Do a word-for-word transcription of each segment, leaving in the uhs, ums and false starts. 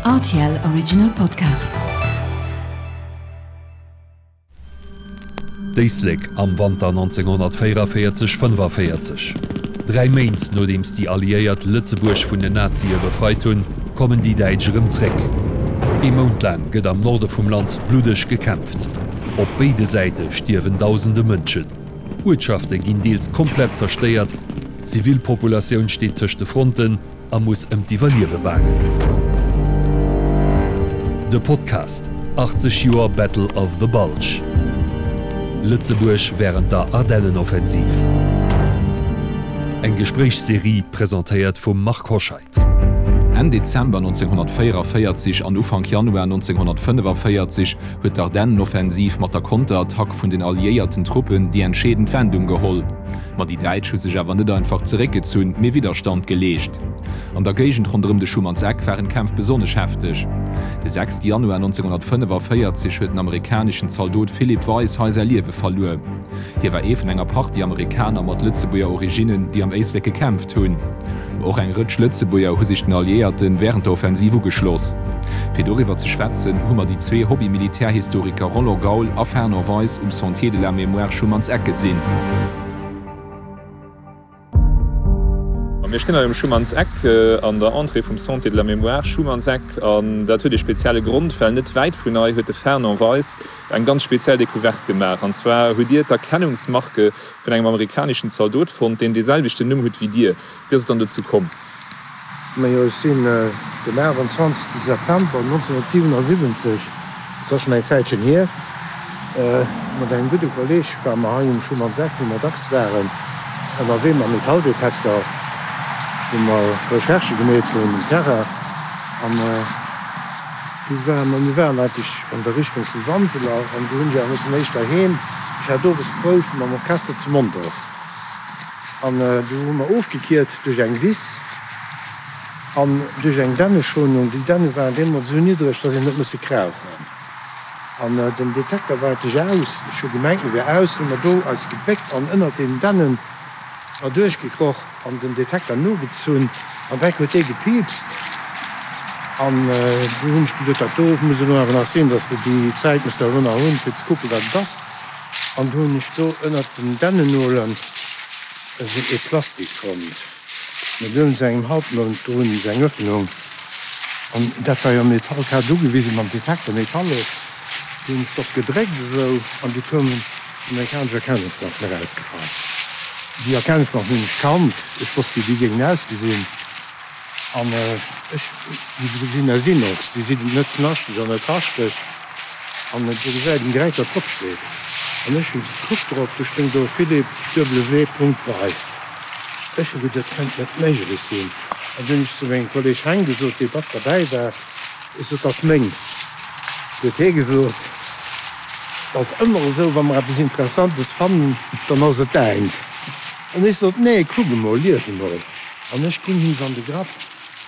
R T L Original Podcast. D'Éislek am Wanter nonzénghonnertvéierevéierzeg, fënnefavéierzeg. Dräi Méint nodeems déi Alliéiert Lëtzebuerg vun den Nazie befreit hunn, kommen déi Däitsch erëm zréck. Ee Mount laang gëtt am Norde vum Land bluddeg gekämpft. Op béide Säite stierwen dausende Mënschen. Uertschafte ginn deels komplett zerstéiert, d'Zivilpopulatioun steet tëscht de Fronten a muss ëm d'Iwwerliewe baangen. De Podcast, achtzeg Joer Battle of the Bulge. Lëtzebuerg wärend der Ardennenoffensiv. Eng Gespréichsserie presentéiert vum Marc Hoscheid. Enn Dezember nonzénghonnertvéierevéierzeg an Ufank Januar nonzénghonnertfënnefavéierzeg huet d'Ardennenoffensiv mat der Konterattack vun den alliéierten Truppen déi entscheedend Wendung geholl. Ma déi Däitsch hu sech awer net einfach zeréckgezunn, mee Widderstand geleescht. An der Géigend ronderëm de Schumann's Eck waren d'Kämpf besonnesch hefteg. De sechste Januar nonzénghonnertfënnefavéierzeg huet den amerikaneschen Zaldot Philip Weiss hei säi Liewe verluer. Hie war ee vun enger Partie Amerikaner mat Lëtzebuerger Originnen, déi am Éislek gekämpft hunn. Ma och eng Rëtsch Lëtzebuerger hu sech den Alliéierte wärend der Offensiv ugeschloss. Fir doriwwer ze schwätzen, hu mer déi zwee Hobby-Militärhistoriker Roland Gaul a Fernand Weiss um Sentier de la Mémoire Schumann's Eck gesinn. Mir stinn hei um Schumann's Eck an der Entrée vum Sentier de la Mémoire Schumann's Eck an dat huet ee spezielle Grond, well net wäit vun hei huet de Fernand Weiss eng ganz speziell Decouverte gemaach. An zwar hutt Dir d'Erkennungsmarke vun engem amerikaneschen Zaldot fonnt, deen dee selwechten Numm huet wéi Dir. Wéi ass et dann dozou komm? Majo, ech sinn den aachtanzwanzegste September nonzénhunnertsiwenasiwwenzeg, dat ass schonn eng Zäitchen hier, mat engem gudde Kolleeg ware mer hei um Schumann's Eck, wou mer dacks waren, ënnerwee mam Metalldetekter, wou mer Recherchë gemeet hunn um Terrain. An du ware mer, mir waren eigentlech an der Richtung vu Wanseler an du hunn ech awer mussen éischter heem, ech hat owes d'Prouf mam Orchester zu Mondorf. An du hu mer ofgekierzt duerch eng Wiss an duerch eng Dänneschonung. Déi Dänne waren deemools esou niddreg, dass een huet musse krauchen. An den Detekter war eigentlech aus. Ech hu gemengt, e wär aus. Hu mer do eis gebéckt an ënnert deenen Dännen erduerchgekroch an den Detekter nogezunn. An direkt huet dee gepiipst. An du hunn ech geduet, dat do muss elo awer nach sinn, dass de déi Zäit muss de elo nach hunn, fir ze kucken, wat et ass. An du hunn ech do ënnert den Dännenolen esou ee Plastik fonnt, mat iergend sou engem Halbmond drun, esou eng Öffnung. An dat war jo Metall, ech hat ugewisen mam Detekter, metallesch. Du hunn ech drop gedréckt esou, an du koumen amerikanesch Erkennungsmarken erausgefall. Déi Erkennungsmarken hunn ech kannt, ech wosst wéi déi géingen ausgesinn. An ech, déi sinn aus Inox, déi sinn net knaschteg an net raschteg. An do gesäit een direkt, wat drop steet. An ech hu gekuckt drop, do stoung do Philippe W. Weiss. Ech hu geduet, dat kënnt net méiglech sinn. An du hunn ech zu mengem Kolleg Heng gesot, dee mat derbäi war, ech sot, dat ass meng. Du huet hie gesot, Dat ass ëmmer esou, wa mer eppes Interessantes fannen, dann ass et däint. An ech sot, Nee, kuck emol, lies emol. An ech ginn him se an de Grapp.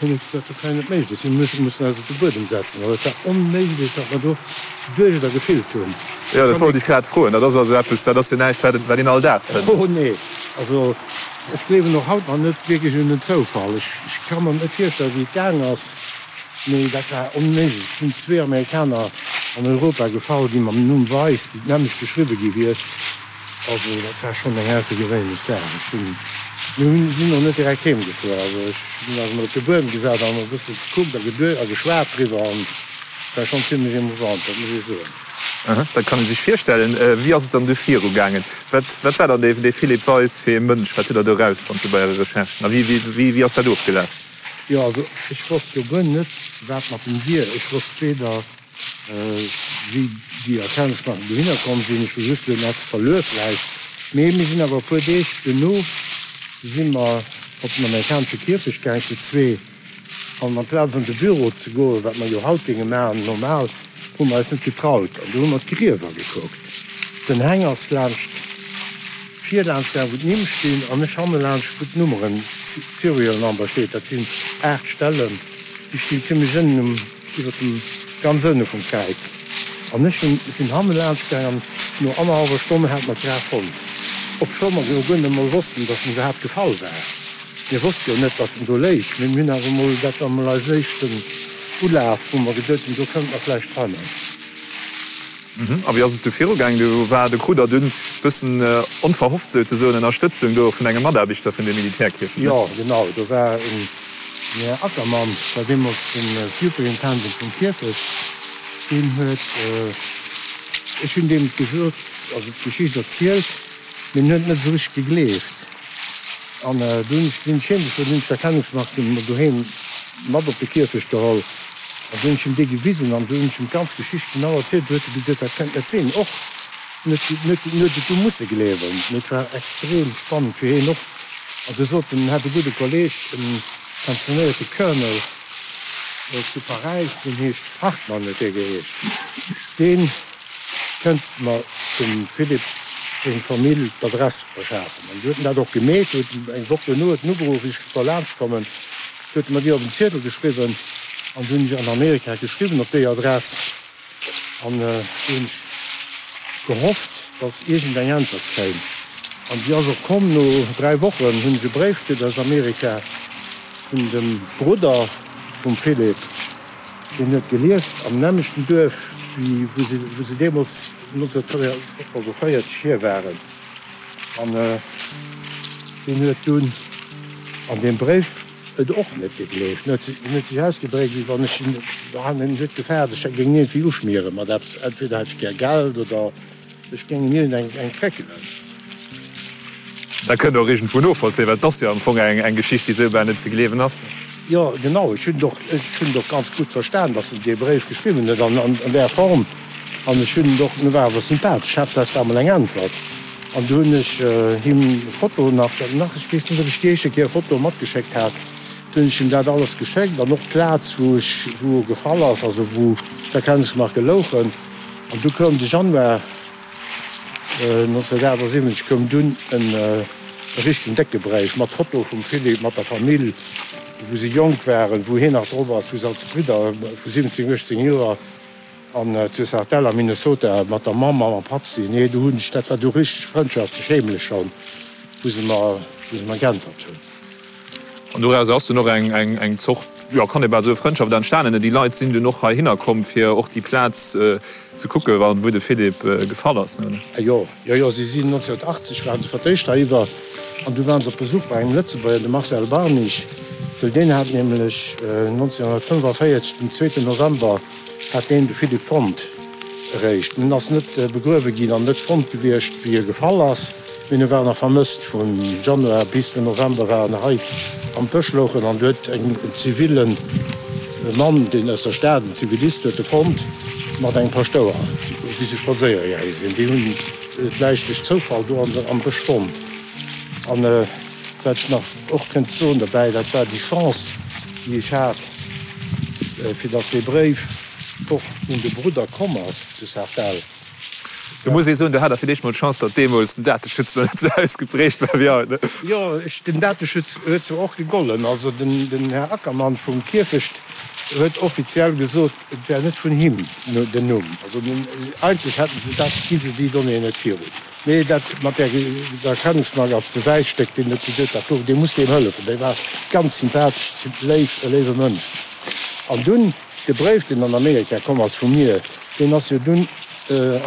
Hunn ech gesot, dat kann jo net méiglech sinn, mir mussen eis op de Buedem setzen. Well et war onméiglech, wat mer do geduecht a gefillt hunn. Jo, dat wollt ech grad froen. Dat ass also eppes, dat ass jo näischt, wat wat een all Dag fënnt. Oh nee, also ech gleewen och haut nach net wierklech un den Zoufall. Ech ech ka mer net virstellen, wéi et gaang ass, mee dat war onméiglech. Et sinn zwee Amerikaner an Europa gefall, déi mam Numm Weiss, déi d'nämmlecht geschriwwe gi wier. Also dat war schonn eng aussergewéinlech Saach. Ech hunn, mir hunn, sinn och net direkt heem gefuer. Also ech hunn eis emol op de Buedem gesat an e bësse gekuckt a geduecht a geschwat driwwer an et war schonn zimlech emouvant, dat muss ech soen. Aha, dat kann ee sech virstellen. Wéi ass et dann du viru gaangen? Wat, wat war dann dee, dee Philippe Weis fir ee Mënsch? Wat hutt Der do erausfonnt bei Äre Recherchen a wéi, wéi, wéi, wéi ass dat ofgelaf? Jo, also ech wosst jo guer net, wat mat em wier. Ech wosst weder, wéi déi Erkennungsmarken dohinner komm sinn. Ech hu just gesot, en hätt se verluer vläicht. Mee mir sinn awer e puer Deeg duerno si mer op den amerikanesche Kierfecht gaang zu zwee. An amplaz an de Büro ze goen, wat mer jo haut géinge maachen, normal, hu mer eis net getraut. An du hu mer d'Griewer gekuckt. Den Heng ass laanscht vir laanscht gaang, wou d'Nimm stinn, an ech hanne laanscht, wou d'Nummeren, Serial Number, steet. Dat sinn aacht Stellen, déi stinn zimlech ënnen um. Iwwer dem ganz ënne vum Kräiz. An ech hunn, sinn hanne laanscht gaang an no annerhallwer Stonn hat mer d'Graf fonnt. Obscho mer jo guer net emol wossten, dass en iwwerhaapt gefall war. Mir wosste jo net, dass en do léich. Mee mir hunn awer emol, dat war emol eisen éischten Ulaf, wou mer geduet hunn, do kënnte mer vläicht fannen. A wéi ass et du virugaang? Du war, du krut der dunn bëssen onverhofft souzesoen Ënnerstëtzung do vun engem Mataarbechter vun de Militärkierfecht, ne? Jo, genau. Do war en Här Ackermann, war deemools de Superintendent vum Kierfecht, deen huet, ech hunn deem gesot, also d'Geschicht erzielt, mee en huet net esou richteg gegleeft. An du hunn ech, sinn ech heem gefuer, du hunn ech d'Erkennungsmark doheem mat op de Kierfecht geholl an du hunn ech him déi gewisen an du hunn ech him d'ganz Geschicht genau erzielt. Du huet e gesot, dat kënnt net sinn. Och en huet en huet en huet et du musse gleewen, mee et war extrem spannend fir hien och. An du sot en, en hätt e gudde Kolleeg, e pensionéierte Colonel zu Paräis, deen heescht Hartmann huet dee geheescht, deen kënnt mer dem Philippe seng Famill d'Adress verschafen. An du huet en dat och gemeet, huet eng Woch duerno huet en ugeruff, wéi ech soll laanscht kommen. Huet mer déi op en Ziedel geschriwwen an du hunn ech an Amerika geschriwwen op déi Adress an du hunn ech gehofft, dass iergend eng Äntwert kéim an déi ass och komm. No dräi Wochen hunn ech e Bréif kritt aus Amerika vun dem Brudder vum Philippe, deen huet gelieft am nämmlechten Duerf wéi wou se wou se deemools nonzénhundertvéierzeeg hier waren an deen huet dunn an deem Bréif et och net gegleeft. En huet sech ausgedréckt, wéi wann ech en huet gefaart, ech géing en iergendwéi uschmiere mat eppes, entweder hätt ech gär Geld oder ech géing en iergend eng eng kréckelen. Dat kënnt och iergendwou novollzéien, well et ass jo am Fong eng Geschicht, déi esou bal net ze gleewen ass. Jo, genau. Ech hunn et och, ech hunn et och ganz gutt verstan, datt en dee Bréif geschriwwen huet an an där Form. An ech hunn et och, en war awer sympathesch, Haaptsaach et war emol eng Äntwert. An du hunn ech him Fotoen nach, nach, ech weess net, ob ech déi éischte Kéier Fotoe matgeschéckt hat, du hunn ech him dat alles geschéckt an och d'Plaz, wou ech, wou e gefall ass, also wou d'Erkennungsmarke louchen. An du koum de Januar nonzénhundertaachtsiwwenzeg koum dunn en richtegen décke Bréif mat Foto vum Philippe mat der Famill, wou se jonk waren, wou hien nach drop ass, wou se als Bridder vu siwwenzéng, uechtzéng Joer, An zu Sartell am Minnesota mat der Mamm a mam Papp sinn. Nee, do hunn ech, dat war du richteg frëndschaftlech, heemlech schonn, wou se mer, wou se mer geäntwert hunn. An doraus ass dunn och eng, eng, eng Zort, jo, kann ee bal soe Frëndschaft entstanen. Déi Leit sinn dunn och heihinner komm, fir och déi Plaz ze kucken, wou de Philippe gefall ass, ne? Jo, Jo, jo, si sinn nonzénhundertachtzeg waren se fir d'éischt heiwwer an du waren se op Besuch bei engem Lëtzebuerger, dem Marcel Barnich, well deen hat nämlech nonzénhundertfënnefenvéierzeg, den zweeten November, hat deen de Philippe fonnt eréischt. En ass net begruewe ginn an net fonnt gewiescht, wéi e gefall ass, mee e war nach vermësst. Vum Januar bis den November war en hei am Bësch louchen an du huet en zivilen Mann, deen aus der Stad, en Zivilist, huet e fonnt mat engem Paschtouer, wéi se spadséiere gaange sinn. Déi hunn d'Läich duerch Zoufall do am Bësch fonnt. An wat ech nach och kënnt soen derbäi, dat war déi Chance, déi ech hat, fir datt dee Bréif och un de Brudder komm ass zu Sartell. Do muss ee soen, do hat Der fir d'éischt mol d'Chance, datt deemools den Dateschutz nach net esou ausgeprägt war wéi haut, ne? Jo, den Dateschutz huet zwar och gegollen. Also den Här Ackermann vum Kierfecht huet offiziell gesot, et wär net vun him den Numm. Also eigentlech hätte se dat, gi se déi Donnéeën net virun. Mee dat mat där Erkennungsmark als Bewäisstéck, deen huet gesot, dat do, dee muss deem hëllefen. Dee war ganz sympathesch, léif, e léiwe Mënsch. An dunn de Bréif, deen an Amerika komm ass vu mir, deen ass jo dunn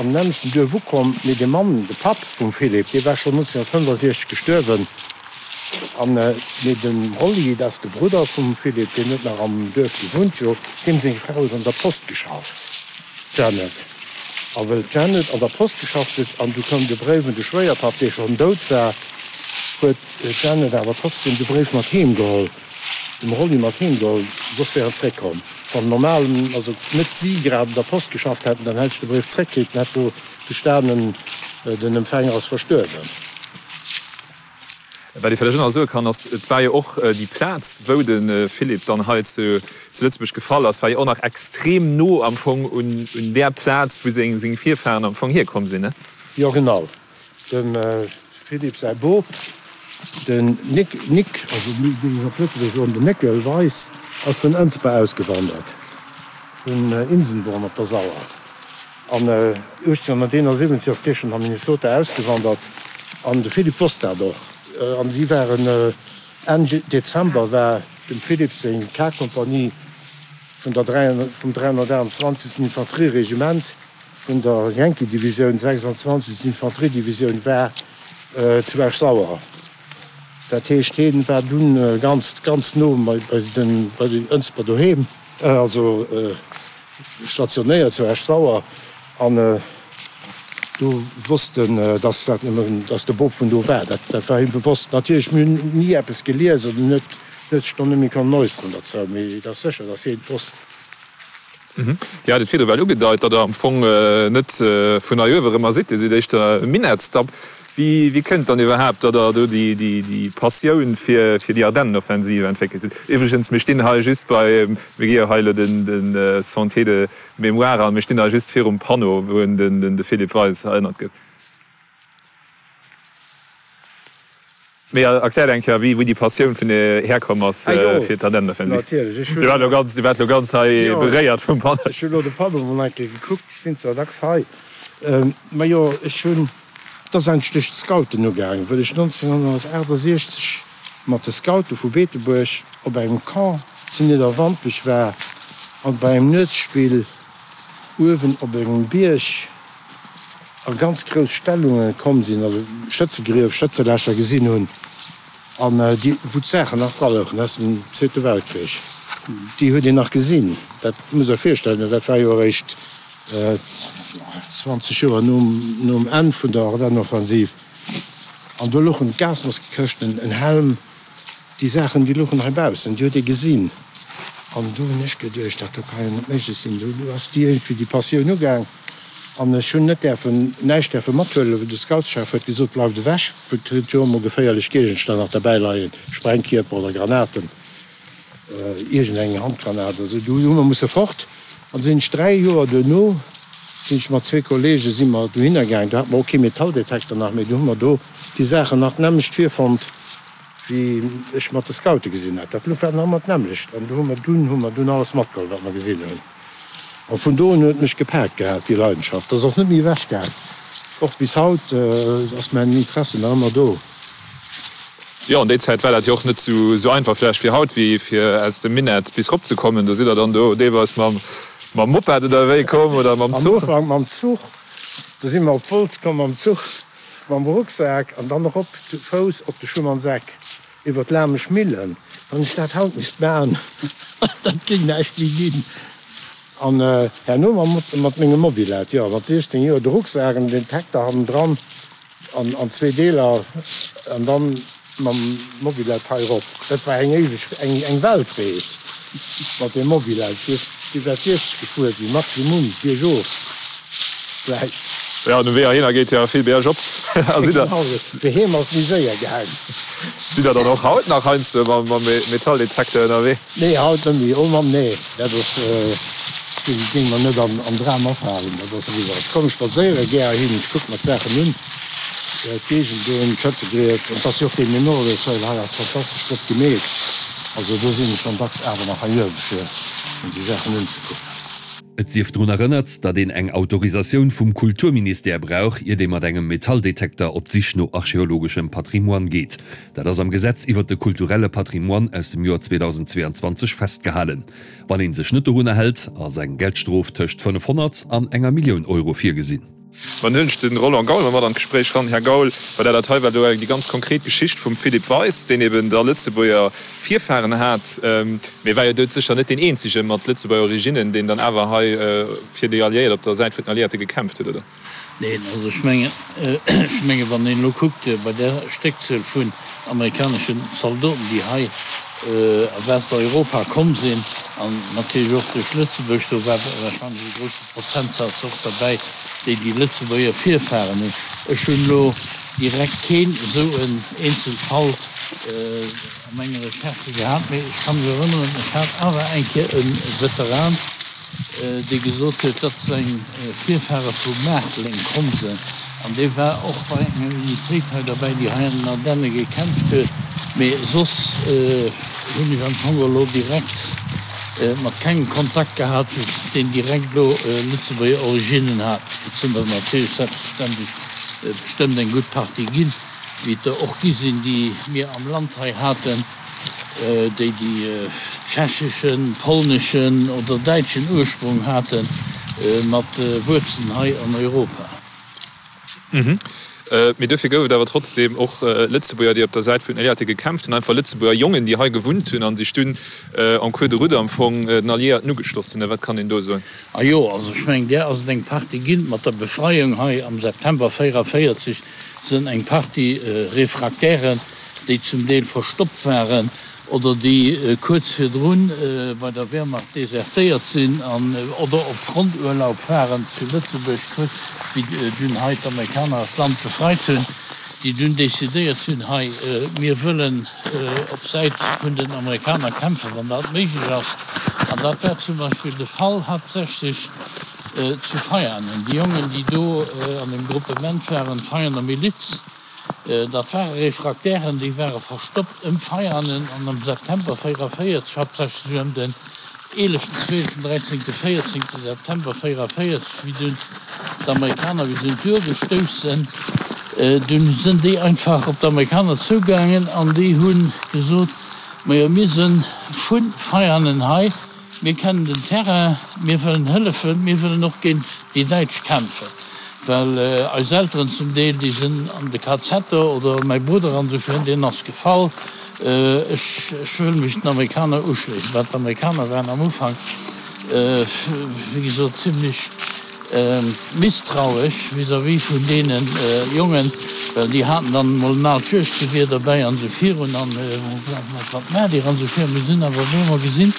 am nämmlechten Duerf ukomm, mee de Mann, de Papp vum Philippe, dee war schonn nonzénhundertfënnefasechzeg gestuerwen. An mee de Rolli, dat ass de Brudder vum Philippe, deen huet nach am Duerf gewunnt, jo, deem seng Fra huet an der Post geschafft, d'Janet. A wëll d'Janet an der Post geschafft huet, an du koum de Bréif un de Schwéierpapp, dee schonn dout war, huet d'Janet awer trotzdem de Bréif mat heem geholl. Dem Rolli mat heem geholl, soss wär en zréckkomm. Wann normal, also net si grad un der Post geschafft hätten, dann hätt ech de Bréif zréckkritt, dann hätt do gestanen, den Empfänger ass verstuerwen. Wat ee vläicht och nach soe kann, ass, et war jo och déi Plaz, wou de Philippe dann hei zu Lëtzebuerg gefall ass, war jo och nach extrem no am Fong un där Plaz, wou seng Virfahren am Fong hierkomm sinn, ne? Jo, genau. Dem Philippe säi Bop, den Nic, Nic, also mir géingen op Lëtzebuergesch soen den Néckel Weis, ass vun Ënsber ausgewandert, vun Insenborn op der Sauer. An uechtzénhunnerteenasiwwenzeg ass dee schonn a Minnesota ausgewandert an de Philippe wosst dat och. An si waren Enn Dezember war dem Philippe seng K-Kompanie vun der vum dräihonnertaachtundzwanzegsten Infanterieregiment vun der Yankee-Divisioun, sechsundzwanzegst Infanteriedivisioun, war zu Esch-Sauer. Dat heescht, hien war dunn ganz, ganz no bei den, bei den Ënsber doheem, also stationéiert zu Esch-Sauer. An do wosst en, dass dat nëmmen, dass de Bop vun do war. Dat, dat war him bewosst. Natierlech, mir hunn ni eppes gelies oder en huet, huet sech do net méi konnen äusseren derzou, mee et ass sécher, dass hien et wosst. Dir hat et virdru well ugedeit, datt Der am Fong net vun hei uewe erëmmer sidd, Dir sidd éischter e Minettsdapp. Wéi kënnt dann iwwerhaapt, datt Der do déi Passioun fir déi Ardennenoffensive entwéckelt hutt? Iwwregens, mir stinn hei just bei, mir gi jo hei elo de Sentier de mémoire an, mir stinn hei just virum Panneau, wou un de Philippe Weis erënnert gëtt. Mee erkläert eng Kéier, wéi déi Passioun vun dir herkomm ass fir d'Ardennenoffensiv. Dir waart elo ganz, dir waart elo ganz hei beréiert vum Panneau. Ech hunn elo de Panneau mol eng Kéier gekuckt, ech sinn zwar dacks hei, majo ech hunn, et ass eigentlech duerch d'Scouten ugaangen, wëll ech nonzénhonnertaachtasechzeg mat de Scoute vu Beetebuerg op engem Camp zu Nidderwampech war an bei engem Nuetsspill uewen op engem Bierg a ganz grouss Stellunge komm sinn, also Schëtzegrief, Schëtzelächer gesinn hunn, an déi, wou d'Saachen nach dra louchen aus dem Zweete Weltkrich, déi huet een nach gesinn. Dat muss Der virstellen, dat war jo eréischt zwanzeg Joer nom Enn vun der Ardennenoffensiv. An do louchen d'Gasmaskekëschten, en Helm, déi Saachen, déi louchen heibaussen, déi huet ee gesinn. An do hunn ech geduecht, dat do ka jo net méiglech sinn. Do ass déi iergendwéi déi Passioun ugaang. An ech hunn net däerfen, näischt däerfe mathuelen, well de Scoutschef huet gesot, Bleift ewech, et huet jo emol geféierlech Géigenstänn nach derbäi leien, Sprengkierper oder Granaten, iergendeng Handgranat oder sou. Du hu mer musse fort. An sinn ech dräi Joer duerno, sinn ech mat zwee Kollege si mer dohinner gaang, do hate mer och kee Metalldetekter nach, mee do hu mer do déi Saachen nach d'nämmlecht virfonnt, wéi ech mat de Scoute gesinn hat. Dat war nach ëmmer d'nämmlecht. An do hu mer dunn, hu mer dunn alles matgeholl, wat mer gesinn hunn. A vun do un huet et mech gepaakt gehat, déi Leidenschaft. Ass och net méi ewech gaang. Och bis haut ass mäin Interesse nach ëmmer do. Jo, an déi Zäit war dat jo och net esou einfach vläicht wéi haut, wéi fir aus dem Minett bis rop ze kommen. Do sidd Der dann do deelweis mam Moped oder wéi komm oder mam Zuch? Am Ufank mam Zuch. Do si mer op Wolz komm mam Zuch, mam Rucksak an dann erop zu Fouss op de Schumannseck. Iwwer d'Lamesch Millen, wann ech dat haut misst maachen, dat géing näischt méi ginn. An herno mat mengem Mobylette, jo, mat siechzéng Joer, de Rucksak an den Detekter hannendran an an zwee Deeler an dann mam Mobylette hei erop. Dat war eng éiweg, eng eng Weltrees mat deem Mobylette. Ech weess, déi wäert siechzeg gefuer sinn, maximum, biergof vläicht. Jo, den Wee heihinner geet jo vill biergop. A sidd der. Fir heem ass méi séier gaang. Sidd der dann och haut nach heiansdo mam Metalldetektor ënnerwee? Nee, haut net méi. Oh Mann, nee, dat ass, géing mer net am Dram afalen. Dat ass eriwwer. Ech komme spadséiere gär hin, ech kucke mer d'Saachen un, d'Géigend do, d'Schëtzegrief. Et ass jo och dee Memorial Trail hei ass fantastesch flott gemeet. Also do sinn ech schonn dacks awer nach hei uewe fir mer déi Saachen unzekucken. Et sief drun erënnert, datt een eng Autorisatioun vum Kulturministère brauch, iert ee mat engem Metalldetekter op d'Sich no archeologeschem Patrimoine geet. Dat ass am Gesetz iwwert de kulturelle Patrimoine aus dem Joer zweedausendzweeanzwanzeg festgehalen. Wann ee sech net dorunner hält, ass eng Geldstrof tëscht fënnefhonnert an enger Millioun Euro virgesinn. An hunn ech de Roland Gaul mat an d'Gespréich ran. Här Gaul, bei der dat hei war do déi ganz konkret Geschicht vum Philippe Weis, deen eben da Lëtzebuerger Virfahren hat, mee war jo doudsécher net deen eenzege mat Lëtzebuerger Originnen, deen dann awer hei fir déi Alliéiert, op der Säit vun den Alliéierte gekämpft huet, oder? Neen, also ech mengen, ech menge wann een elo kuckt bei där Stéckzuel vun amerikaneschen Zaldoten, déi hei a Westeuropa komm sinn an natierlech och duerch Lëtzebuerg, do war wahrscheinlech e grousse Prozentsaz och derbäi, déi déi Lëtzebuerger Virfahren hunn. Ech hunn elo direkt keen esou en Eenzelfall a menge Recherchë gehat, mee ech ka mech erënneren, ech hat awer eng Kéier e Veteran, dee gesot huet, datt seng Virfahre vu Maarteleng komm sënn, an dee war och bei enger Unitéit hei derbäi, déi hei an den Ardenne gekämpft huet. Mee soss hunn ech am Fong elo direkt mat kengem Kontakt gehat, deen direkt elo Lëtzebuerger Originnen hat. Et sinn der natierlech selbstverständlech bestëmmt eng gutt Partie ginn, wéi et der och gi sinn, déi mir am Land hei haten, déi déi tschecheschen, polneschen oder däitschen Ursprung haten, mat Wuerzelen hei an Europa. Mee duerfir gouf et awer trotzdeem och Lëtzebuerger, déi op der Säit vun den Alliéierte gekämpft hunn, einfach Lëtzebuerger Jongen, déi hei gewunnt hunn a sech dunn en cours de route am Fong den Alliéierten ugeschloss hunn. Wat kann een do soen? A jo, also ech mengen, där ass et eng Partie ginn. Mat der Befreiung hei am September véierunvéierzeg sënn eng Partie Refractairen, déi zum Deel verstoppt waren oder déi kuerz virdrun bei der Wehrmacht desertéiert sinn an oder op Fronturlaub waren zu Lëtzebuerg, kuerz wéi dunn hei d'Amerikaner eist Land befreit hunn, déi dunn decidéiert hunn, hei mir wëllen op Säit vun den Amerikaner kämpfen, wann dat méiglech ass. An dat war zum Beispill de Fall haaptsächlech zu Veianen. Déi Jongen, déi do an deem Gruppement waren, d'Veianer Miliz, Dat ware Refraktären, déi ware verstoppt ëm Veianen an am September véierunvéierzeg, haaptsächlech ëm den eeleften, zwieleften, dräizéngten, véierzéngte September véierunvéierzeg, wéi dunn d'Amerikaner bis un d'Our gestouss sënn, dunn sënn déi einfach op d'Amerikaner zougaangen an déi hu gesot, Majo, mir sënn vu Veianen hei, Mir kennen den Terrain, mir wëllen hëllefen, mir wëllen och géint déi Däitsch kämpfen, well eis Elteren zum Deel, déi sinn an de Kazetter oder mäi Brudder an esou virun, deen ass gefall. Ech wëll mech den Amerikaner uschléissen. Well d'Amerikaner waren am Ufank, wéi gesot, zimlech Misstrauesch vis-à-vis vun deene Jongen, well déi haten dann emol en aalt Juegdgewier derbäi an esou virun an wat maacht Dir an esou virun. Mir hunn awer op eemol gesinn,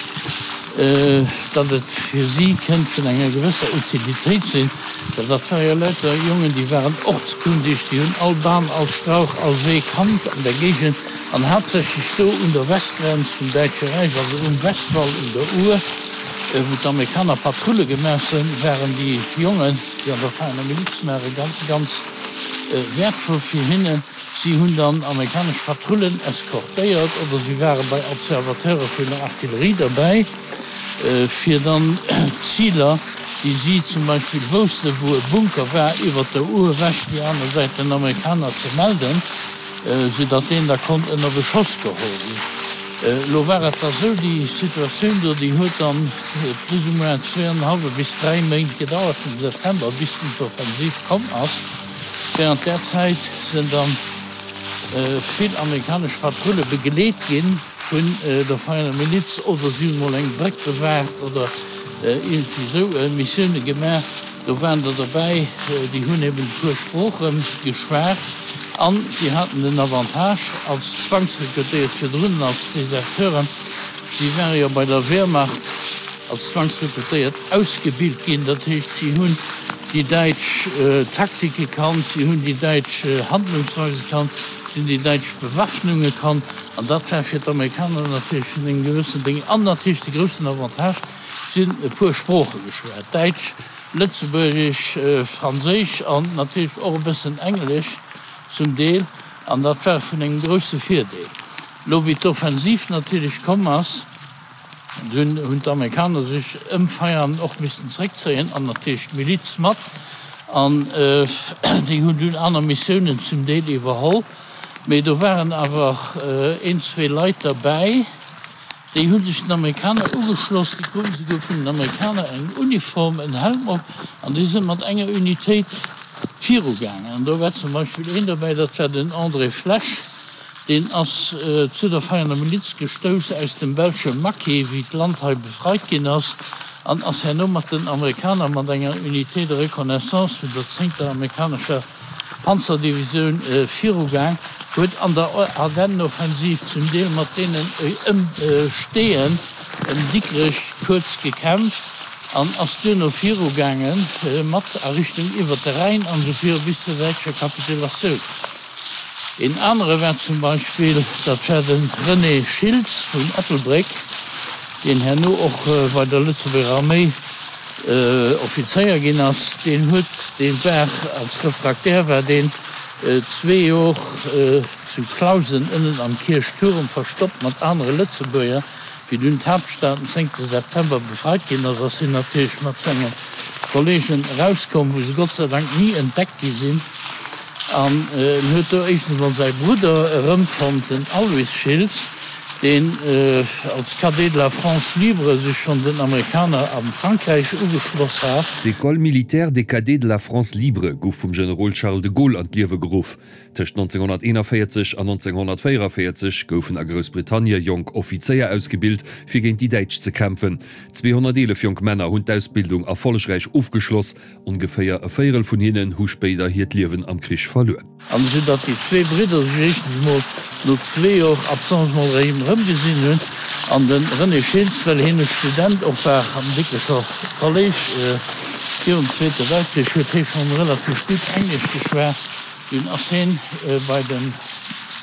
datt et fir si kënnt vun enger gewësser Utilitéit sinn, well dat ware jo lauter Jongen, déi waren ortskundig, déi hunn all Bam, all Strauch, all Wee kannt an der Géigend an haaptsächlech do un der Westgrenz vum Däitsche Räich, also um Westwall un der Our. Wou d'Amerikaner Patrulle gemaach hunn, waren déi Jongen, déi an der Vereiner Miliz waren, ganz, ganz wäertvoll fir hinnen. Si hunn dann amerikanesch Patrullen eskortéiert oder si ware bei Observateure vun der Artillerie derbäi, fir dann d'Ziler, déi si zum Beispill woussten, wou e Bunker war, iwwert der Our ewech déi aner Säit den Amerikaner ze melden, soudatt deen da konnt ënner Beschoss geholl ginn. Elo war et da sou, déi Situatioun do, déi huet dann plus ou moins zwee an en hallwe bis dräi Méint gedauert, vum September bis dunn d'Offensiv komm ass. Während där Zäit sinn da vill amerikanesch Patrulle begleet gi vun der Vereiner Miliz oder si hunn emol eng Bréck bewaacht oder iergendwéi esou Missioune gemaach. Do waren der derbäi, déi hunn eben e puer Sprooche geschwat an si haten den Avantage als Zwangsrekrutéiert virdrun an als Deserteuren, si ware jo bei der Wehrmacht als Zwangsrekrutéiert ausgebilt ginn, dat heescht, si hunn déi däitsch Taktike kannt, si hunn déi däitsch Handlungsweise kannt, si hunn déi däitsch Bewaffnunge kannt an dat war fir d'Amerikaner natierlech vun engem gewëssen Déng an natierlech de groussen Avantage, Si hunn e puer Sprooche geschwat, Däitsch, Lëtzebuergesch, Franséisch an natierlech och e bëssen Englesch zum Deel, an dat war vun engem grousse Virdeel. Elo wéi d'Offensiv natierlech komm ass, dunn hunn d'Amerikaner sech ëm Veianen och missten zeréckzéien an natierlech d'Miliz mat, an déi hunn dunn aner Missiounen zum Deel iwwerholl. Mee do waren awer een, zwee Leit derbäi, Déi hu sech den Amerikaner ugeschloss, déi kruten souguer vun den Amerikaner eng Uniform, en Helm op, an déi sinn mat enger Unitéit virugaangen. An do war zum Beispill een dobäi, dat war den André Flesch, deen ass zu der Vereiner Miliz gestouss aus dem belsche Maquis, wéi d'Land hei befreit ginn ass, an ass herno mat den Amerikaner mat enger Unité de reconnaissance vun der zéngter amerikanescher Panzerdivisioun virugaang, huet an der Ardennenoffensiv zum Deel mat deenen ëm Steeën ëm Dikrech kuerz gekämpft an ass duerno virugaange mat a Richtung iwwert de Rhäin an esou viru bis zur däitscher Kapitulatioun. Een anere war zum Beispill, dat war de René Schiltz vun Ettelbréck, deen herno och bei der Lëtzebuerger Arméi Offizéier ginn ass, deen huet, dee war als Refraktär war deen zwee Jor zu Clausen ënnen am Kierchtuerm verstoppt mat anere Lëtzebuerger. Wéi dunn d'Haaptstad den zéngte September befreit ginn ass, ass hien natierlech mat senge Kolleegen erauskomm, wou se Gott sei Dank ni entdeckt gi sinn. An en huet do éischtens emol säi Brudder erëmfonnt, den Alois Schiltz, deen als Cadet de la France libre sech schonn den Amerikaner a Frankräich ugeschloss hat. D'École militaire des cadets de la France libre gouf vum Generol Charles de Gaulle an d'Liewe geruff. Tëscht nonzénghonnerteenanvéierzeg an nonzénghonnertvéieranvéierzeg goufen a Groussbritannie jonk Offizéier ausgebilt, fir géint déi Däitsch ze kämpfen. Zweehonnerteelef jonk Männer hunn d'Ausbildung erfollegräich ofgeschloss, ongeféier e Véierel vun hinnen hu spéider hiert Liewen am Krich verluer. An esou datt déi zwee Bridder sech éischtens emol no zwee Jor Absence emol erëm erëmgesinn hunn. An de René Schiltz, well hien e Student och war am Dikrecher Kolléisch virum Zweete Weltkrich, huet hie schonn relativ gutt Englesch geschwat. Dunn ass hien bei de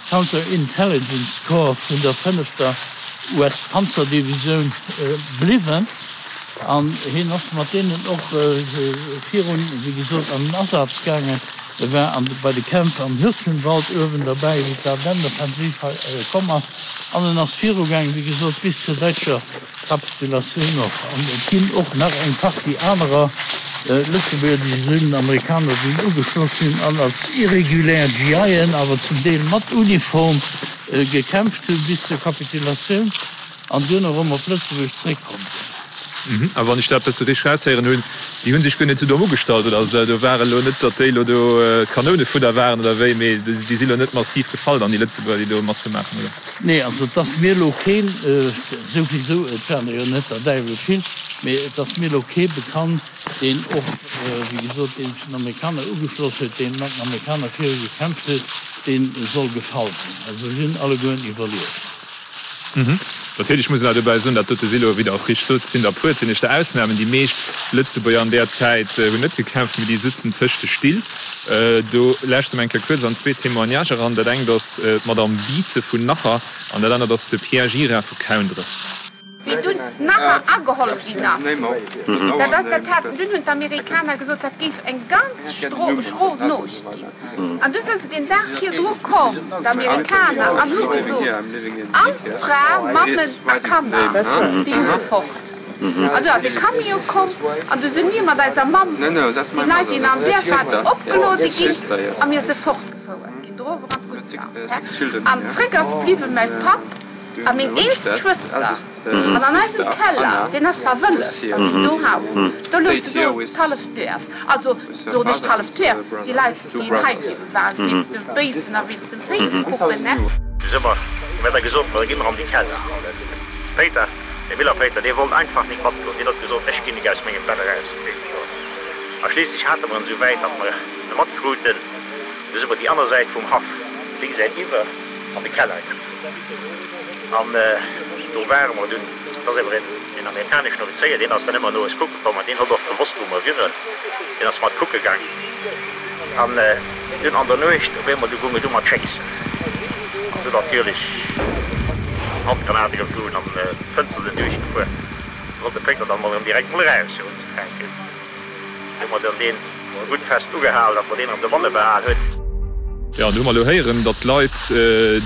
Counter Intelligence Corps vun der fënnefter U S-Panzerdivisioun bliwwen an hien ass mat deenen och virun, wéi gesot, an den Asaz gaangen. E war an bei de Kämpf am Hürtgenwald uewen derbäi, wéi d'Ardennenoffensiv hei komm ass an en ass virugaangen, wéi gesot, bis zur däitscher Kapitulatioun och. An et ginn och nach eng Partie anerer Lëtzebuerger, déi sech un den Amerikaner dunn ugeschloss hunn an als irregulär G I en, awer zum Deel mat Uniform, gekämpft hunn bis zur Kapitulatioun an duerno erëm op Lëtzebuerg zréckkomm sinn. A wann ech dat bësse richteg raushéieren hunn, déi hu sech guer net esou domm ugestallt, oder? Also do war elo net, datt déi elo do Kanounefudder waren oder wéi, mee déi si elo net massiv gefall dann, déi Lëtzebuerger, déi do mat gemaach hunn, oder? Nee, also et ass mir elo keen, souwisou, et waren der jo net der Däiwel vill, mee et ass mir elo kee bekannt, deen och, wéi gesot, deen sech den Amerikaner ugeschloss huet, dee mat den Amerikaner viru gekämpft huet, dee soll gefall sinn. Also si hunn allegueren iwwerlieft. Natierlech muss een awer dobäi soen, dat dote si lo, wéi Der och richteg sot, sinn der puer, et sinn éischter Ausnamen. Déi meescht Lëtzebuerger an där Zäit hunn net gekämpft, mee déi sutzen tëscht de Still. Do lauschte mer eng Kéier kuerz an zwee Témoignage eran. Dat engt ass d'Madame Biese vun Nacher an dat anert ass de Pierre Gira vu Kaundref. Wéi dunn Nacher ageholl ginn ass, dat ass, dat haten, dunn hunn d'Amerikaner gesot, dat géif eng ganz schro Nuecht ginn. An du si se deen Dag virdru komm, d'Amerikaner, an hu gesot, all Fra, Mammen a Kanner, déi musse fort. An du ass e Camion komm an du si mir mat eiser Mamm, déi Leit, déi nach am Duerf waren, opgeluede ginn a mir si fortgefouert ginn, do erof an d'Guttland. An zréck ass bliwwe mäi Papp a meng eelst Schwëster. An an eisem Keller, deen ass verwëlleft an deem do Haus, do louch do d'halleft Duerf, also soen ech d'halleft Duerf, déi Leit, déi hei bliwwe waren, wéinst de Béifen a wéinst dem Véi ze kucken, ne. Du si mer, hu mir da gesot, ma da gi mer an de Keller. An de Péiter, de Miller Péiter, dee wollt einfach nik matgoen. Deen huet gesot, Ech ginn nik aus mengem Bett eraus, huet dee gesot. A schliisslech hate mer en esou wäit, datt mer e matkruten. Du si mer déi aner Säit vum Haff, déi Säit iwwer, an de Keller gaangen. An do ware mer dunn, et ass awer een amerikaneschen Offizéier, deen ass dann ëmmer no eis kucke komm an deen huet och gewosst, wou mer wieren, deen ass mat kucke gaang. An dunn an der Nuecht op eemol, du goung et u mat schéissen an du natierlech Handgranate geflunn an d'Fënster sinn duerchgefuer. Du wollt de Péiter dann mol erëm direkt mol eraus fir unzefänken. Du hu mer dann deen gutt fest ugehal, datt mer deen erëm dobanne behal hunn. Jo, an do hu mer elo héieren, datt d'Leit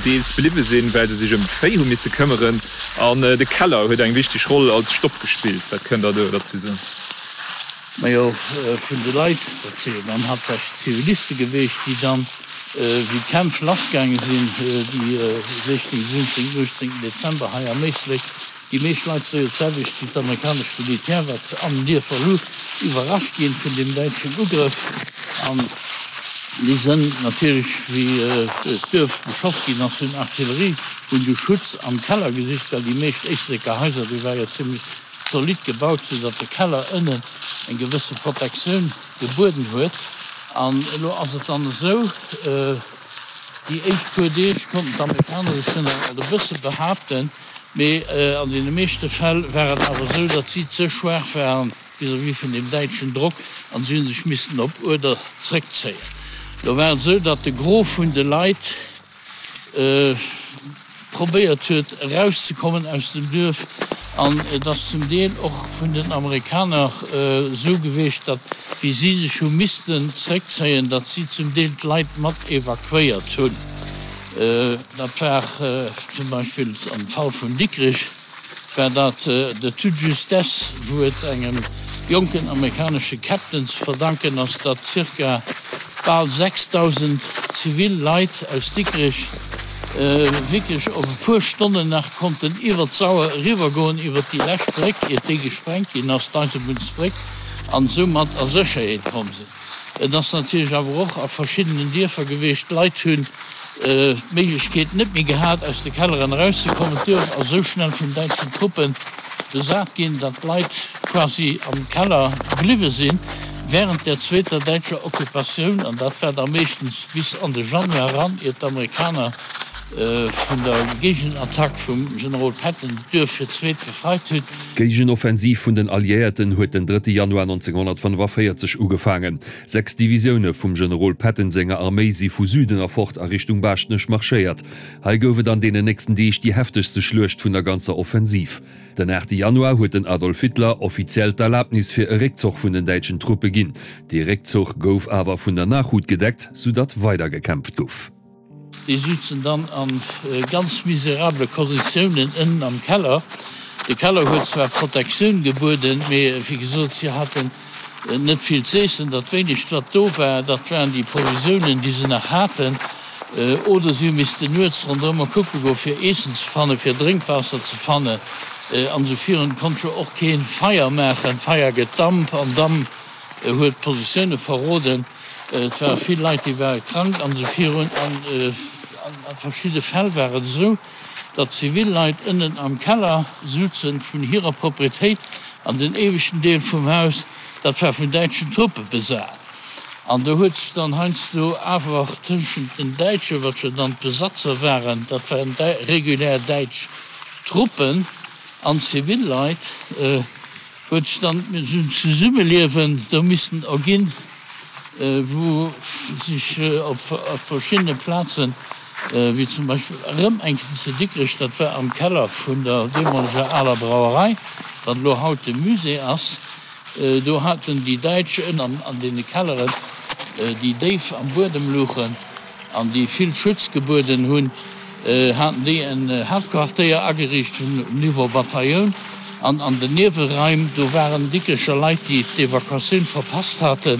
deels bliwwe sinn, well se sech ëm d'Véi hu misse këmmeren. An de Keller huet eng wichteg Roll als Stopp gespillt. Wat kënnt Der do derzou soen? Majo, vun de Leit, dat si jo dann haaptsächlech Ziviliste geweecht, déi dann, wéi d'Kämpf lassgaange sinn, déi sechzéng, siwwenzéng, uechtzéngten Dezember hei am Éislek, Déi meescht Leit si jo d'selwecht wéi d'amerikanescht Militär, wat an den Dierfer luch, iwwerrascht ginn vun deem däitschen Ugrëff. An déi sënn natierlech, wéi d'Duerf beschoss ginn ass vun Artillerie, hunn du Schutz am Keller gesicht, well déi meescht Éisleker Haiser, déi ware jo zimlech zolidd gebaut, sou datt de Keller ënnen eng gewësse Protektioun gebueden huet. An elo ass et dann esou. Déi éischt puer Deeg konnten d'Amerikaner sech dann nach alt e bësse behaapten, mee an deene meeschte Fäll war et awer esou, datt si ze schwaach waren vis-à-vis vun deem däitschen Drock an si hu sech missen op Uerder zréckzéien. Lo war et esou, datt de Gros vun de Leit probéiert huet erauszekommen aus dem Duerf an et ass zum Deel och vun den Amerikaner esou gewiescht, datt wéi si sech hu missten zréckzéien, datt si zum Deel d'Leit mat evakuéiert hunn. Dat war zum Beispill am Fall vun Dikrech. War dat de toute justesse, wou et engem jonken amerikanesche Captain ze verdanken ass, datt zirka bal sechsdausend zivil Leit aus Dikrech wierklech op e puer Stonnen nach konnten iwwer d'Sauer eriwwergoen, iwwer déi lescht Bréck, iert déi gesprengt ginn ass, d'Eisebunnsbréck, an soumat a Sécherheet komm sinn. Et ass natierlech awer och a verschiddenen Dierfer gewiescht, d'Leit hunn d'Méiglechkeet net méi gehat, aus de Kelleren erauszekommen. D'Duerf ass esou schnell vun däitschen Truppe besat ginn, datt d'Leit quasi am Keller bliwwe sinn während der zweeter däitscher Occupatioun, an dat war da meeschtens bis an de Januar eran, iert d'Amerikaner vun der Géigenattack vum Generol Patton d'Duerf fir d'zweet befreit hunn. D'Géigenoffensiv vun den Alliéierten huet den drëtte Januar nonzénghonnertfënnefaféierzeg ugefaangen. Sechs Divisioune vum Generol Patton senger Arméi si vu Süden erfort a Richtung Baaschtnech marschéiert. Hei gouf et an deenen nächsten Deeg déi heftegste Schluecht vun der ganzer Offensiv. Den aachte Januar huet den Adolf Hitler offiziell d'Erlabnis fir e Réckzoch vun den däitschen Truppe ginn. Dee Réckzuch gouf awer vun der Nachhut gedeckt, soudatt weider gekämpft gouf. Déi sutzen dann a ganz miserabele Konditiounen ënnen am Keller. De Keller huet zwar Protektioun gebueden, mee wéi gesot, si haten net vill z'eessen. Dat wéinegt, wat do war, dat waren déi Provisiounen, déi se nach haten. Oder si hu missten nuets ronderëmmer kucke goen, fir Eessen ze fannen, fir Drénkwaasser ze fannen. An esou virun. Konnt jo och kee Feier maachen. Feier gëtt Damp an Damp huet d'Positioune verroden. Et ware vill Leit, déi ware krank an esou virun. An a verschidde Fäll war et esou, datt zivil Leit ënnen am Keller souzen vun hirer Proprietéit an den éiweschten Deel vum Haus, dat war vun däitschen Truppe besat. An do huet sech dann heiansdo awer tëschent den Däitschen, wat jo dann d'Besatzer waren, dat waren regulär däitsch Truppen, an zivil Leit, huet sech dann esou en Zesummeliewen do missen erginn, wou sech op verschiddene Plazen, wéi zum Beispill erëm eng Kéier zu Dikrech, dat war am Keller vun der deemoleger aler Brauerei, wat elo haut de Musée ass, do haten déi Däitsch ënnen an deene Kelleren, déi déif am Buedem louchen, an déi vill Schutz gebueden hunn, haten déi en Haaptquartéier ageriicht um Niveau Batailloun an an den Nieweraim, do waren Dikrecher Leit, déi d'Evakuatioun verpasst haten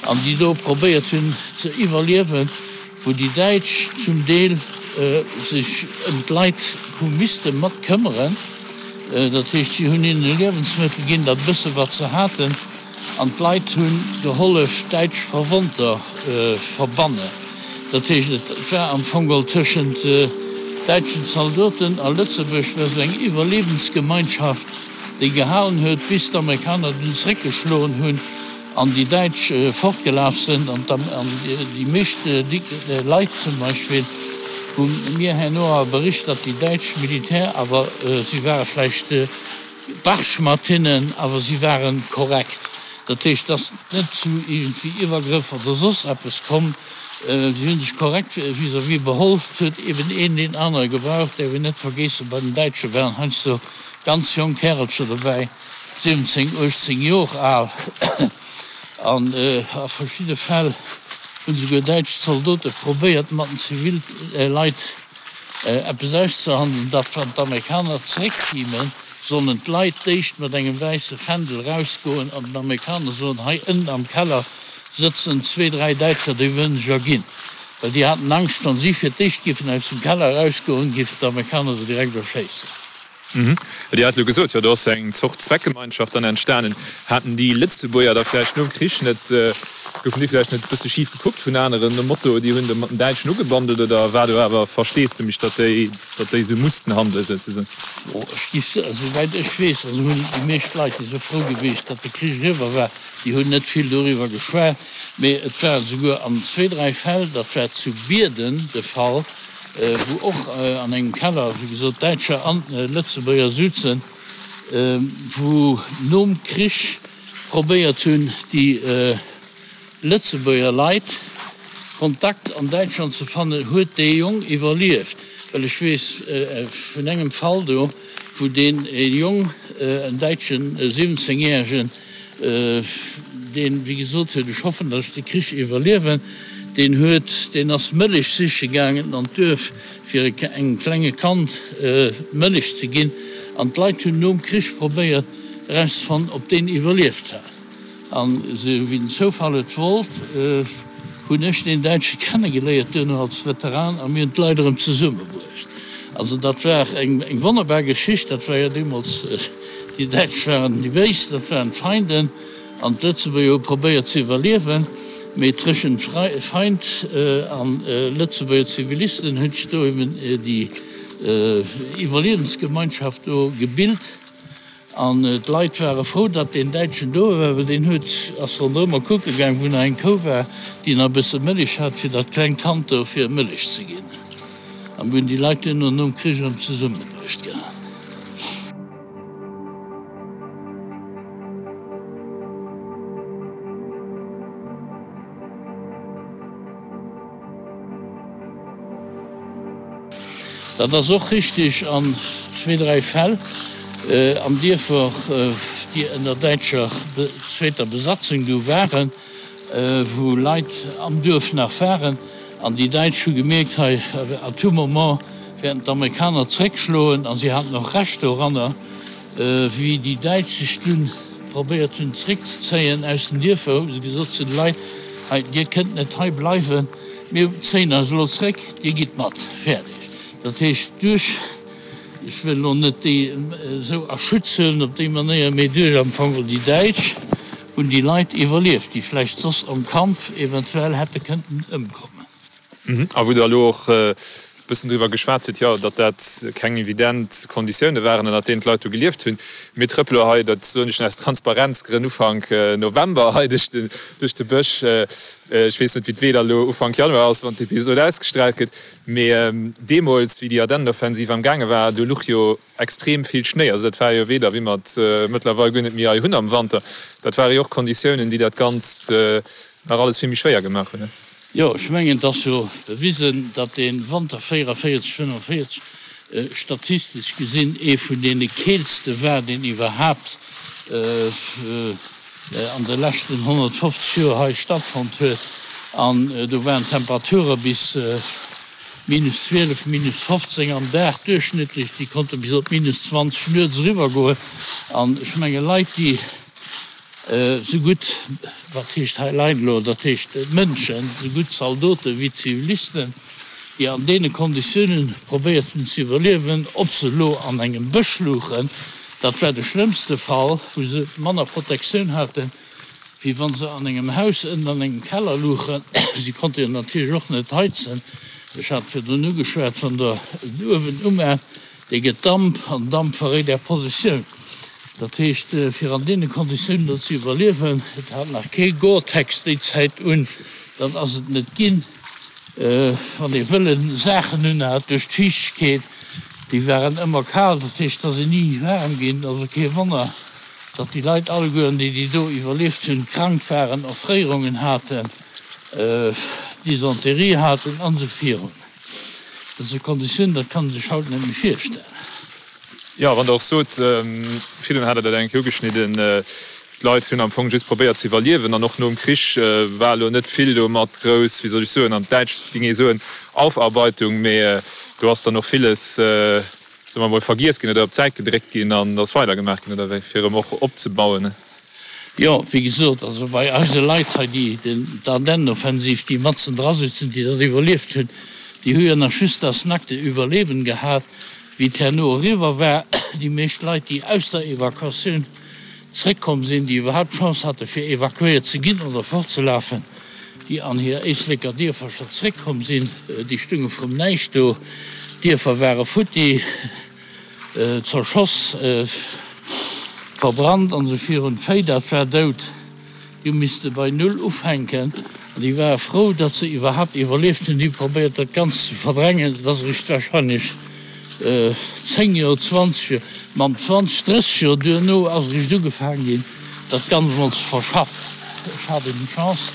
an déi do probéiert hunn ze iwwerliewen, wou déi Däitsch zum Deel sech ëm d'Leit hu misste mat këmmeren. Dat heescht, si hunn hinnen Liewensmëttel ginn, dat bësse wat se haten. An d'Leit hu gehollef däitsch Verwonnter verbannen. Dat heescht, et war am Fong geholl tëschent däitschen Zaldoten a Lëtzebuerg war esou eng Iwwerliewensgemeinschaft, déi gehalen huet, bis d'Amerikaner dunn zeréckgeschloen hunn an déi Däitsch fortgelaf sinn. An déi meescht Leit zum Beispill hu mir herno awer bericht, datt déi däitsch Militär awer, si ware vläicht, Barsch mat hinnen, awer si ware korrekt. Dat heescht, et ass net zu iergendwéi Iwwergrëff oder soss eppes komm. Si hu sech korrekt vis-à-vis beholl. Et huet eben een deen anere gebraucht. Däerf een net vergeessen, bei den Däitsche waren heiansdo ganz jonk Kärelcher dobäi, siwwenzéng, uechtzéng Jor al. An a verschidde Fäll hunn esouguer däitsch Zaldote probéiert, mat den Zivilleit eppes auszehandelen, datt wann d'Amerikaner zeréckkimen, sollen d'Leit d'éischt mat engem wäisse Fändel erausgoen an den Amerikaner soen, hei ënnen am Keller sëtzen zwee, dräi Däitscher, déi wëllen sech erginn. Well déi haten Angscht, wann si fir d'éischt géifen aus dem Keller erausgoen, géifen d'Amerikaner se direkt erschéissen. Dir hat elo gesot, jo do ass eng Zort Zweckgemeinschaft dann entstanen. Haten déi Lëtzebuerger da vläicht nom Krich net, goufen déi vläicht net e bësse schif gekuckt vun aneren, nom Motto, déi hunn do mat den Däitschen ugebandelt, oder war do awer Versteesdemech, datt déi, datt déi esou mussten handelen souzesoen? Bon, ech gi, esouwäit ech weess, also hunn déi meescht Leit, déi sou frou gewiescht, datt de Krich eriwwer war, déi hunn net vill doriwwer geschwat. Mee et war esouguer an zwee, dräi Fäll, dat war zu Bierden de Fall, wou och an engem Keller, wéi gesot, Däitscher an Lëtzebuerger suzen, wou nom Krich probéiert hunn, déi Lëtzebuerger Leit Kontakt an Däitschland ze fannen, huet dee Jong iwwerlieft. Well ech weess vun engem Fall do, wou deen Jong, en Däitschen, e siwwenzéngjäregen, deen, wéi gesot huet, ech hoffen, datt ech de Krich iwwerliewen, deen huet, deen ass Mëllech siche gaangen an d'Duerf, fir engem klenge Kand Mëllech ze ginn. An d'Leit hunn nom Krich probéiert erauszefannen, ob deen iwwerlieft hat. An esou wéi den Zoufall et wollt, hunn ech deen Däitsche kennegeléiert duerno als Veteran a mir hunn d'Leit erëm zesummebruecht. Also dat war eng eng wonnerbar Geschicht. Dat war jo deemools, déi Däitsch waren déi Béis, dat waren d'Feinden an d'Lëtzebuerger hu probéiert ze iwwerliewen. Mee tëschent Feind a Lëtzebuerger Zivilisten huet sech do eben déi Iwwerliewensgemeinschaft do gebilt. An d'Leit ware frou, datt deen Däitschen do war, well deen huet, ass ronderëmmer kucke gaang, wou nach eng Kou war, déi nach e bësse Mëllech hat, fir dat klengt Kand do fir Mëllech ze ginn. A mir hunn déi Leit duerno nom Krich erëm zesummebruecht gehat. Dat ass och richtig an zwee, dräi Fäll an Dierfer, déi ënner däitscher zweeter Besatzung du waren, wou Leit am Duerf nach waren an déi Däitsch hu gemierkt, hei à tout moment wäerten d'Amerikaner zréckschloen a si haten och Recht doranner. Wéi déi Däitsch sech dunn probéiert hunn zréckzezéien aus den Dierfer, hu se gesot zu de Leit, Hei, dir kënnt net hei bleiwen, mir zéien eis elo zréck, dir gitt mat. Fäerdeg. Dat heescht, duerch, ech wëll elo net déi esou a Schutz huelen op déi Manéier, mee duerch am Fong déi Däitsch hunn déi Leit iwwerlieft, déi vläicht soss am Kampf eventuell hätte kënnten ëmkommen. A wou Der elo och e bëssen driwwer geschwat hutt, jo, datt dat keng evident Konditioune waren, ënnert deenen d'Leit do gelieft hunn. Mir trëppele hei, dat soen ech aus Transparenzgrënn, Ufank November hei duerch de, duerch de Bësch. Ech weess net, wéi d'Weeder elo Ufank Januar ass, wann d'Episod ausgestraalt gëtt. Mee deemools, wéi déi Ardennenoffensiv am gaange war, do luch jo extrem vill Schnéi. Also dat war jo Weeder, wéi mer et mëttlerweil guer net méi hei hunn am Wanter. Dat ware jo och Konditiounen, déi dat Ganzt nach alles vill méi schwéier gemaach hunn. Jo, ech mengen, et ass jo bewisen, datt dee Wanter véierunvéierzeg, fënnefenvéierzeg statistesch gesinn ee vun deene keelste war, deen iwwerhaapt an de leschten honnertfofzeg Joer hei stattfonnt huet. An do waren d'Temperature bis minus zwielef, minus fofzéng am Dag duerchschnëttlech, déi konnte bis op minus zwanzeg nuets eriwwergoen. An ech menge Leit, déi Sou gutt, wat heescht hei Leit elo, dat heescht Mënschen, sou gutt Zaldote wéi Zivilisten, déi an deene Konditiounen probéiert hunn ze iwwerliewen, ob se elo an engem Bësch luchen, dat war de schlëmmste Fall, wou se manner Protektioun haten, wéi wa se an engem Haus ënnen an engem Keller luchen. Si konnte jo natierlech och net heizen. Ech hat virdrun ugeschwat, wann Der en Uewen umaacht, Dee gëtt Damp, an Damp verréit Är Positioun. Dat heescht, fir an deene Konditiounen do ze iwwerliewen, et hat nach kee Gore-Tex déi Zäit un, dat ass et net ginn, wann ee wëlle Saachen unhat, duerch d'Fiichtegkeet, déi waren ëmmer kal, dat heescht, et ass een ni waarm ginn. Also kee Wonner, datt déi Leit allegueren, déi déi do iwwerlieft hunn, krank waren, Erfréierungen haten, Dysenterie haten an esou virun. Dat ass e Konditioun, dat kann ee sech haut net méi virstellen. Jo, wann Der och sot, virdrun hat Der dat eng Kéier ugeschnidden, d'Leit hunn am Fong just probéiert ze iwwerliewen an och nom Krich war elo net vill do mat grouss, wéi soll ech soen, an d'Däitsch géing ee soen, Aufarbeitung, mee do ass dann och villes, soe mer emol, vergiess ginn oder op d'Säit gedréckt ginn an ass weidergemaach ginn, oder wéi, fir erëm och opzebauen. Jo, wéi gesot, also bei eise Leit hei, déi d'Ardennenoffensiv, déi matzen dra sitzen, déi dat iwwerlieft hunn, déi hu jo nach just das nackte Überleben gehat, wéi et herno eriwwer war. Déi meescht Leit, déi aus der Evakuatioun zréckkomm sinn, déi iwwerhaapt d'Chance hate fir evakuéiert ze ginn oder fortzelafen, déi an hir Éisleker Dierfercher zréckkomm sinn, déi stunge vrum Näischt do. D'Dierfer ware futti. Zerschoss, verbrannt an esou virun. D'Véi, dat war dout, déi hu misste bei Null ufänken an déi ware frou, datt se iwwerhaapt iwwerlieft hunn. Déi hu probéiert, dat Ganzt ze verdrängen. Et ass eréischt warscheinlech zéng Joer, zwanzeg Joer, mam zwanzeg, drësseg Joer duerno ass eréischt ugefaang ginn, dat Ganzt emol ze verschaffen. Ech hat eben d'Chance,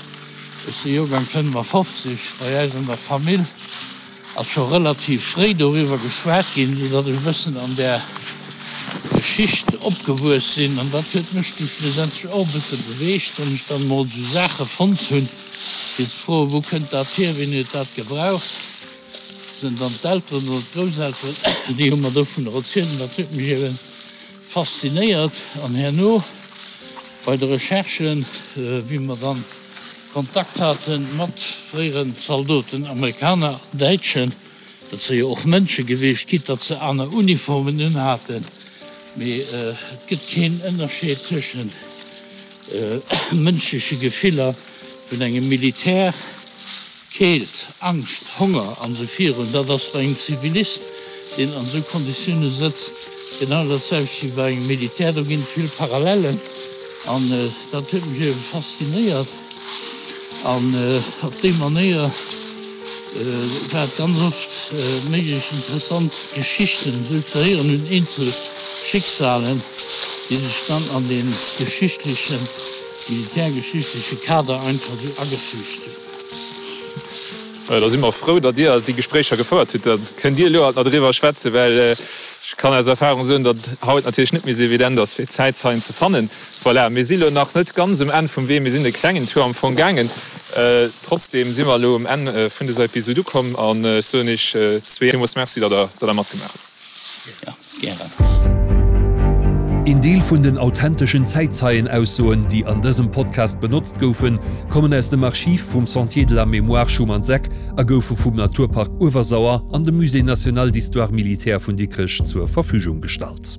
ech si Joergang fënnefafofzeg, bei äis an der Famill, Ass scho relativ fréi doriwwer geschwat ginn, sou datt ech e bëssen an där Geschicht opgewuess sinn. An dat huet mech du schlussendlech och e bësse beweegt, wann ech dann emol esou Saache fonnt hunn, fir ze froen, Wou kënnt dat hier, wien huet dat gebraucht? Sinn dann d'Elteren oder d'Grousselteren, déi hu mer dovunner erzielt. An dat huet mech eben faszinéiert. An herno bei de Recherchen, wéi mer dann Kontakt hate mat fréieren Zaldoten, Amerikaner an Däitschen. Dat si jo och Mënsche gewiescht, quitte datt se aner Uniformen unhaten, mee et gëtt keen Ënnerscheed tëschent mënschleche Gefiller vun engem Militär, Keelt, Angscht, Honger an esou virun. Dat ass bei engem Zivilist, deen an esou Konditioune sëtzt, genau dat selwecht wéi bei engem Militär. Do ginn et vill Parallellen an dat huet mech ebe faszinéiert. An op déi Manéier war et ganz oft méiglech, interessant Geschichten esou ze héieren un eenzel Schicksalen, déi sech dann an dee geschichtlechen, militärgeschichtleche Kader einfach esou agefügt hunn. Da si mer frou, datt Dir déi Gespréicher gefouert hutt. Da kënnt Dir elo alt nach driwwer schwätzen, well ech kann aus Erfahrung soen, datt haut natierlech net méi esou evident ass, fir Zäitzeien ze fannen. Voilà, mir si lo nach net ganz um Enn vum Wee, mir sinn e klengen Tour am Fong gaangen. Trotzdem si mer elo um Enn vun dëser Episod ukomm an ech soen iech zwee villmools Merci, datt der datt der matgemaach hutt. Jo, gären. Een Deel vun den authenteschen Zäitzeienaussoen, déi an dësem Podcast benotzt goufen, kommen aus dem Archiv vum Sentier de la Mémoire Schumanns-Eck a goufe vum Naturpark Uewersauer an dem Musée national d'histoire militaire vun Dikrech zur Verfügung gestallt.